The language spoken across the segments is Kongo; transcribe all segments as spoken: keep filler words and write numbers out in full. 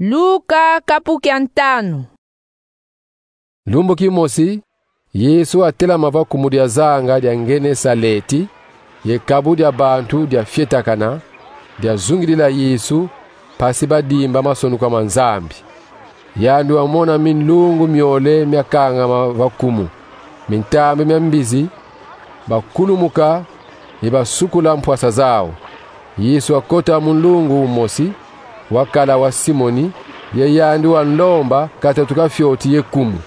Luka kapu kia ntanu. Lumbu kimosi, Yesu watelama va kumu dia zanga dia Ngenesaleti, ye kabu dia bantu diafyetakana, diazungidila Yesu, mpasi badimba masonuka ma Nzambi. Yandi wamona minlungu miole miakangama va kumu, mintambi mia mbizi, bakulumuka ye basukula mpwasa zau. Yesu wakota mu nlungu umosi, wakala wa Simoni, ye yandi wanlomba katatu ka fioti ye kumu.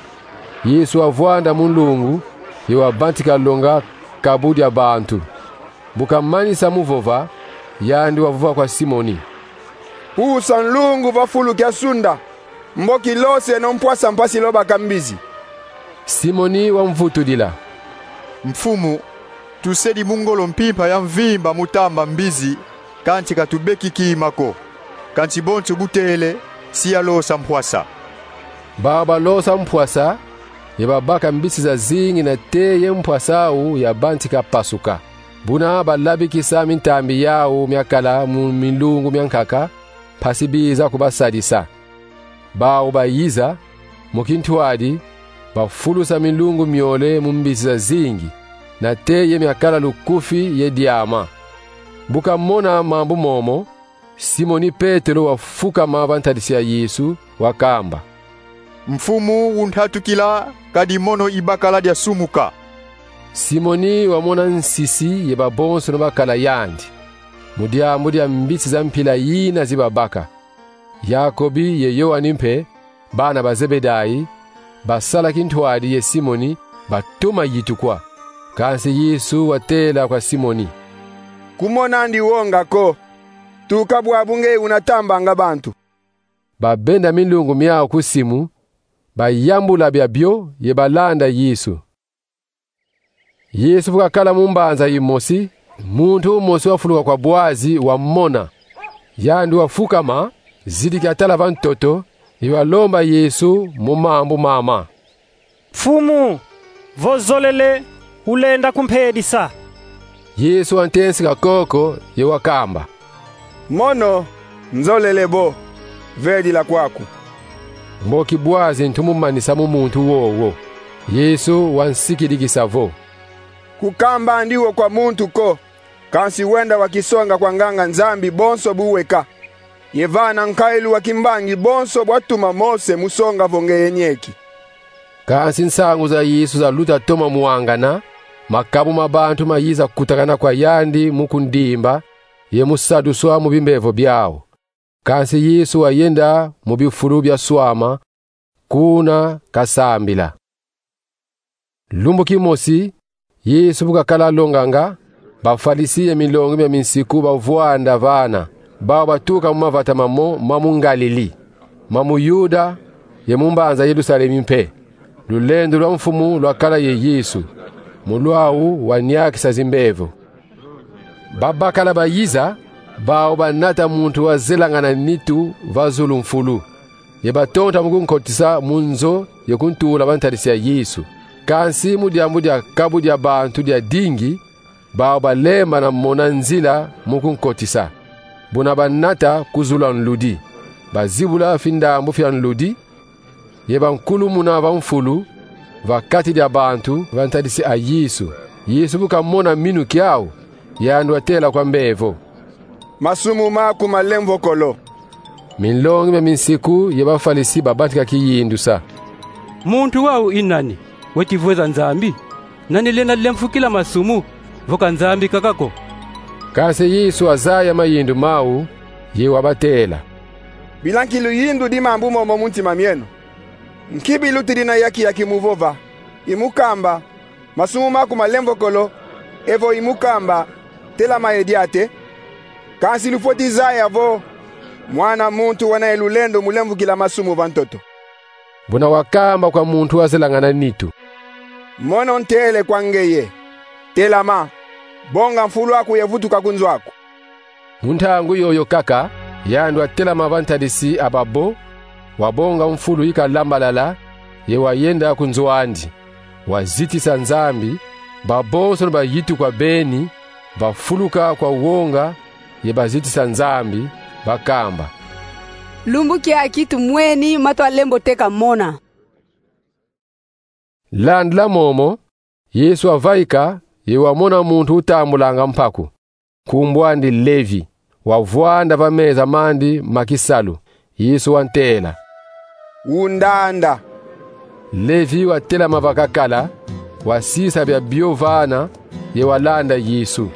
Yesu wavwanda mu nlungu, ye wabantika longa kabu dia bantu. Bu kamanisa mu vova, yandi wavova kwa Simoni: Pusa nlungu va fulu kia sunda, mboki loseno mpwasa mpasi lobaka mbizi. Simoni wamvutudila: Mfumu, tusedi mu ngolo mpimpa ya mvimba mu tamba mbizi, kansi katubeki kima ko. Kansi bonso bu tele, si yalosa mpwasa. Bau balosa mpwasa, ye babaka mbisi zazingi nate ye mpwasa au yabantika pasuka. Buna balabikisa mintambi yau miakala mu minlungu miankaka, mpasi biza kubasadisa. Bau bayiza, mu kintwadi, bafulusa minlungu miole mu mbisi zazingi, nate ye miakala lukufi ye diama. Bu kamona mambu momo, Simoni Petelo wafukama va ntadisi ya Yesu, wakamba: Mfumu, untatukila, kadi mono ibakala diasumuka. Simoni wamona nsisi ye babonsono bakala yandi, mu diambu dia mbisi za mpila yina zi babaka. Yakobi ye Yoani mpe, bana ba Zebedai, basala kintwadi ye Simoni, batoma yitukwa. Kansi Yesu watela kwa Simoni: Kumonandi wonga ko, tuka bwabu ngeye unatambanga bantu. Babenda minlungu miau ku simu, bayambula biabio ye balanda Yesu. Yesu bu kakala mu mbanza yimosi, muntu umosi wafuluka kwa bwazi wamona. Yandi wafukama, zidi kiatala va ntoto, ye walomba Yesu mu mambu mama: Mfumu, vo zolele, ulenda kumpedisa. Yesu wantensika koko, ye wakamba: Mono, nzolele bo, vedila kwaku. Mboki bwazi ntu mumanisa mu muntu wowo. Yesu wansikidikisa vo: Kukambandi wo kwa muntu ko, kansi wenda wakisonga kwa nganga-Nzambi bonso bu weka, ye vana nkayilu wa kimbangi bonso bwatuma Mose mu songa vo ngeye nieki. Kansi nsangu za Yesu zaluta toma mwangana, makabu ma bantu mayiza kutakana kwa yandi mu kundimba, ye mu saduswa mu bimbevo biau. Kansi Yesu wayenda mu bifulu biaswama, kuna kasambila. Lumbu kimosi, Yesu bu kakala longanga, Bafalisi ye minlongi mia minsiku bavwanda vana, bau batuka mu mavata mamo ma mu Ngalili, ma mu Yuda, ye mu mbanza Yerusalemi mpe. Lulendo lwa Mfumu lwakala ye Yesu, mu lwau waniakisa zimbevo. Babakala bayiza, bau banata muntu wazelangana nitu va zulu-mfulu, ye batonta mu kunkotisa mu nzo ye kuntula va ntadisi ya Yesu. Kansi mu diambu dia kabu dia bantu diadingi, bau balembana mona nzila mu kunkotisa. Buna banata ku zulu a nludi, bazibula findambu fia nludi, ye bankulumuna va mfulu, va kati dia bantu, va ntadisi a Yesu. Yesu bu kamona minu kiau, yandi watela kwa mbevo: Masumu maku malemvokolo. Minlongi mia minsiku ye Bafalisi babantika kiyindusa: Muntu wau i nani, weti vweza Nzambi? Nani lenda lemfukila masumu, vo ka Nzambi kaka ko? Kansi Yesu wazaya mayindu mau, ye wabatela: Bila nki luyindudi mambu momo mu ntima mieno? Nki bilutidi na yaki-yaki mu vova, i mu kamba: Masumu maku malemvokolo, evo i mu kamba: Telama ye diate? Kansi lufweti zaya vo Mwana muntu wena ye lulendo mu lemvukila masumu va ntoto. Buna wakamba kwa muntu wazelangana nitu: Mono ntele kwa ngeye: Telama, bonga mfulu aku ye vutuka ku nzo aku. Mu ntangu yoyo kaka, yandi watelama va ntadisi a babo, wabonga mfulu yi kalambalala, ye wayenda ku nzo andi. Wazitisa Nzambi, babonsono bayitukwa beni, bafuluka kwa wonga, ye bazitisa Nzambi, bakamba: Lumbu kiaki tumweni ma twalembo teka mona. Landila momo, Yesu wavaika ye wamona muntu utambulanga mpaku, nkumbu andi Levi, wavwanda va meza mandi ma kisalu. Yesu wantela: Undanda. Levi watelama va kakala, wasisa biabio vana, ye walanda Yesu.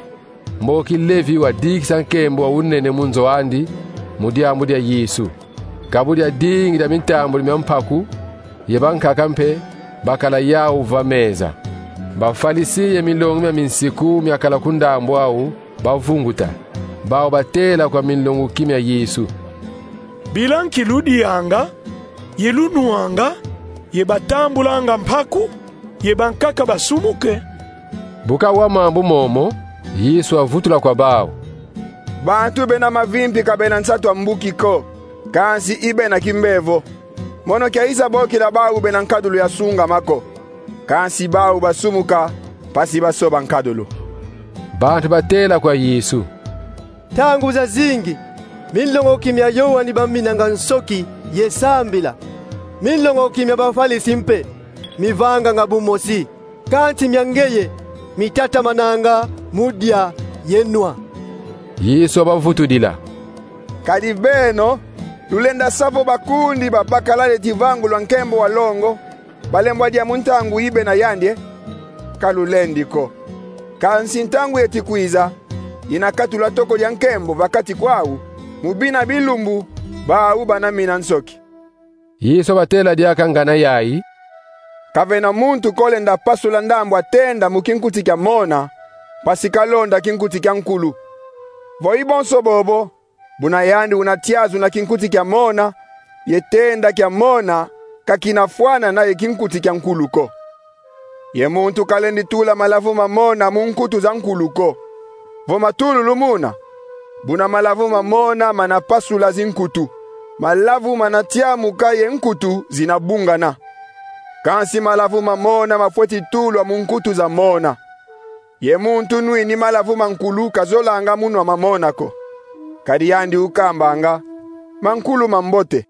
Mboki Levi wadikisa nkembo wa unene mu nzo andi, mu diambu dia Yesu. Ka bu diadingi dia mitambudi mia mpaku, ye bankaka mpe bakala yau va meza. Bafalisi ye milongi mia minsiku miakala ku ndambu au bavunguta. Bau batela kwa minlongoki mia Yesu: Bila nki ludianga, ye lunwanga, ye batambulanga mpaku, ye bankaka basumuke? Bu kawa mambu momo, Yesu wavutula kwa bau: Bantu bena mavimpi ka bena nsatu a mbuki ko, kansi i bena kimbevo. Mono kiayiza bokila bau bena nkadulu ya sungama ko, kansi bau basumuka mpasi basoba nkadulu. Bantu batela kwa Yesu: Ntangu zazingi, minlongoki mia Yoani baminanga nsoki ye sambila. Minlongoki mia Bafalisi mpe mivanganga bu mosi, kansi mia ngeye mitatamananga mu dia ye nwa. Yesu wabavutudila: Kadi beno, lulenda sa vo bakundi ba bakala dieti vangu lwa nkembo wa longo balembwa dia mu ntangu i bena yandi e? Ka lulendi ko. Kansi ntangu yeti kwiza, yina katula toko dia nkembo va kati kwau, mu bina bilumbu bau bana mina nsoki. Yesu wabatela diaka ngana yai: Ka vena muntu ko lenda pasula ndambu a tenda mu kinkuti kia mona, mpasi kalonda kinkuti kia nkulu. Vo i bonso bobo, buna yandi una tiazu na kinkuti kia mona, ye tenda kia mona ka kina fwanana ye kinkuti kia nkulu ko. Ye muntu kalendi tula malavu ma mona mu nkutu za nkulu ko. Vo matululu muna, buna malavu ma mona mana pasula zinkutu, malavu mana tiamuka ye nkutu zina bungana. Kansi malavu ma mona mafweti tulwa mu nkutu za mona. Ye muntu nwini malavu ma nkulu kazolanga mu nwa ma mona ko. Kadi yandi ukambanga: Mankulu mambote,